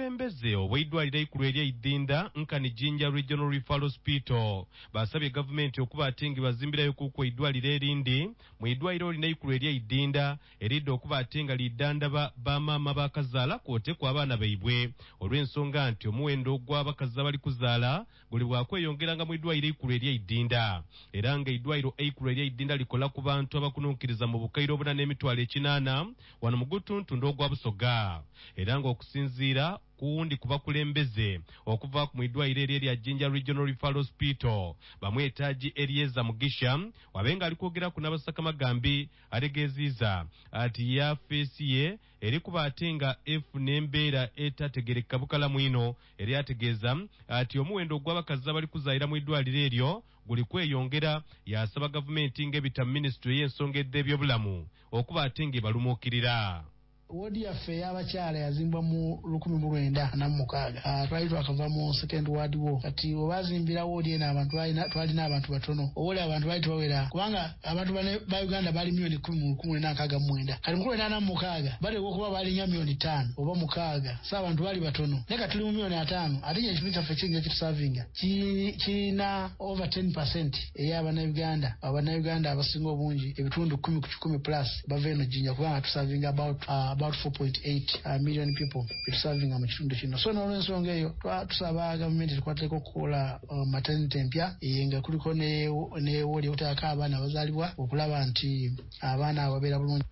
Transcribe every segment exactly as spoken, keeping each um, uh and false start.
Obukulembeze obw'eidwaliro eikulu erya Idinda nkani Jinja Regional Referral Hospital basabye gavumenti okuba ate nga bazimbirayo kuku eidwaliro erindi mu idwaliro lino eikulu erya Idinda eridda okuba ate nga lidandaba bamaama bakazaala kwotekwa abaana baibwe, olw'ensonga nti omuwendo gw'abakazi abali kuzaala guli bwakweyongeranga mu idwaliro eikulu erya Idinda. Era nga eidwaliro eikulu erya Idinda likola ku bantu abakununkiriza mu bukaire obuna n'emitwalo ekinaana wano mu gutuntundu ogwa Busoga. Era nga okusinziira kuwundi kubakulembeze okuva mu idwaliro eryo erya Jinja Regional Referral Hospital, bamwetaaji Elieza Mugisha, wabenga ali kwogeraku n'abasakamagambi, ategeeziza ati yafeesi ye eri kuba ate nga efuna embeera etategereka bukalamu ino. Eri ategeeza ati omuwendo ogw'abakazi abali kuzaayira mu idwaliro eryo guli kweyongera, yasaba gavumenti ng'ebita minisitule y'ensonga edh'ebyobulamu okuba ate ng'ebalumuukirira. Woodi yaffe ey'abakyala yazimbwa mu lukumi mu lwenda ana mu mukaaga. Ah, twali twakava mu Second World War. Kati we bazimbira woodi eno abantu twalina abantu batono, oba oli abantu baali tebawera, kubanga abantu bane ba Uganda baali miliyoni kumi mu lukumi lwenda nkaaga mu mwenda. Kati mu lwenda ana mu mukaaga bateekwa okuba balinga miliyoni ttaano oba mukaaga, so abantu baali batono. Naye kati tuli mu miliyoni ataano, ate kino ekitundu kyaffe kiyinza kitusavinga kirina over ten percent ey'abannayuganda. Abannayuganda abasinga obungi ebitundu kumi ku kikumi plus bava eno Jinja, kubanga tusavinga about, uh, about four point eight, uh, million people betusavinga mu kitundu kino. So n'olwensonga eyo tusaba gavumenti etukwateko okukola, uh, maternity empya nga kuliko ne, ne woodi okuteekako abaana abazaalibwa okulaba nti abaana abo babeera bulungi.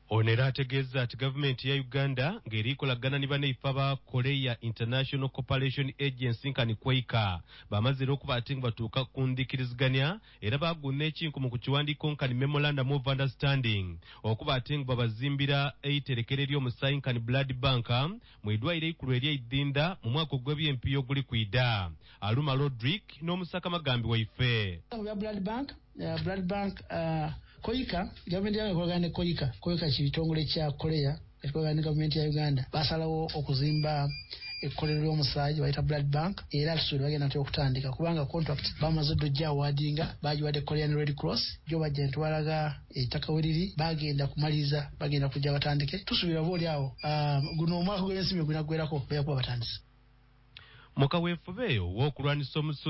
Ono era ategeeza nti gavumenti ya Uganda ng'erikolagana ne bannaife aba Korea International Cooperation Agency nkani KOICA bamaze era okuba ate nga batuuka ku nzikiriziganya, era baaguna ekinkumu ku kiwandiiko nkani Memorandum of Understanding okuba ate nga babazimbira eiterekero ery'omusaayi nkani Blood Bank mu idwaliro eikulu erya Idinda mu mwaka ogw'ebyempiyo oguli kwida. Aluma Rodrick n'omusaka magambi waife. Bya Blood Bank, uh, Blood Bank, uh, KOICA, gavumenti yange ekolagana ne KOICA. KOICA kitongole kya Korea ekikolagana ne gavumenti ya Uganda. Basalawo okuzimba ekkolero ly'omusaayi bayita Blood Bank, era tusuubira bagenda ntera okutandika kubanga contract bamaze dda ojja awadinga, bagiwadde Korean Red Cross, gyo bajja ne tubalaga ettaka we riri, bagenda kumaliriza, bagenda kujja batandike. Tusuubira oba oli awo, um, guno omwaka gw'ensimbi gunaggwerako bajja kuba batandise. Mu kaweefube ow'okulwanyisa omusu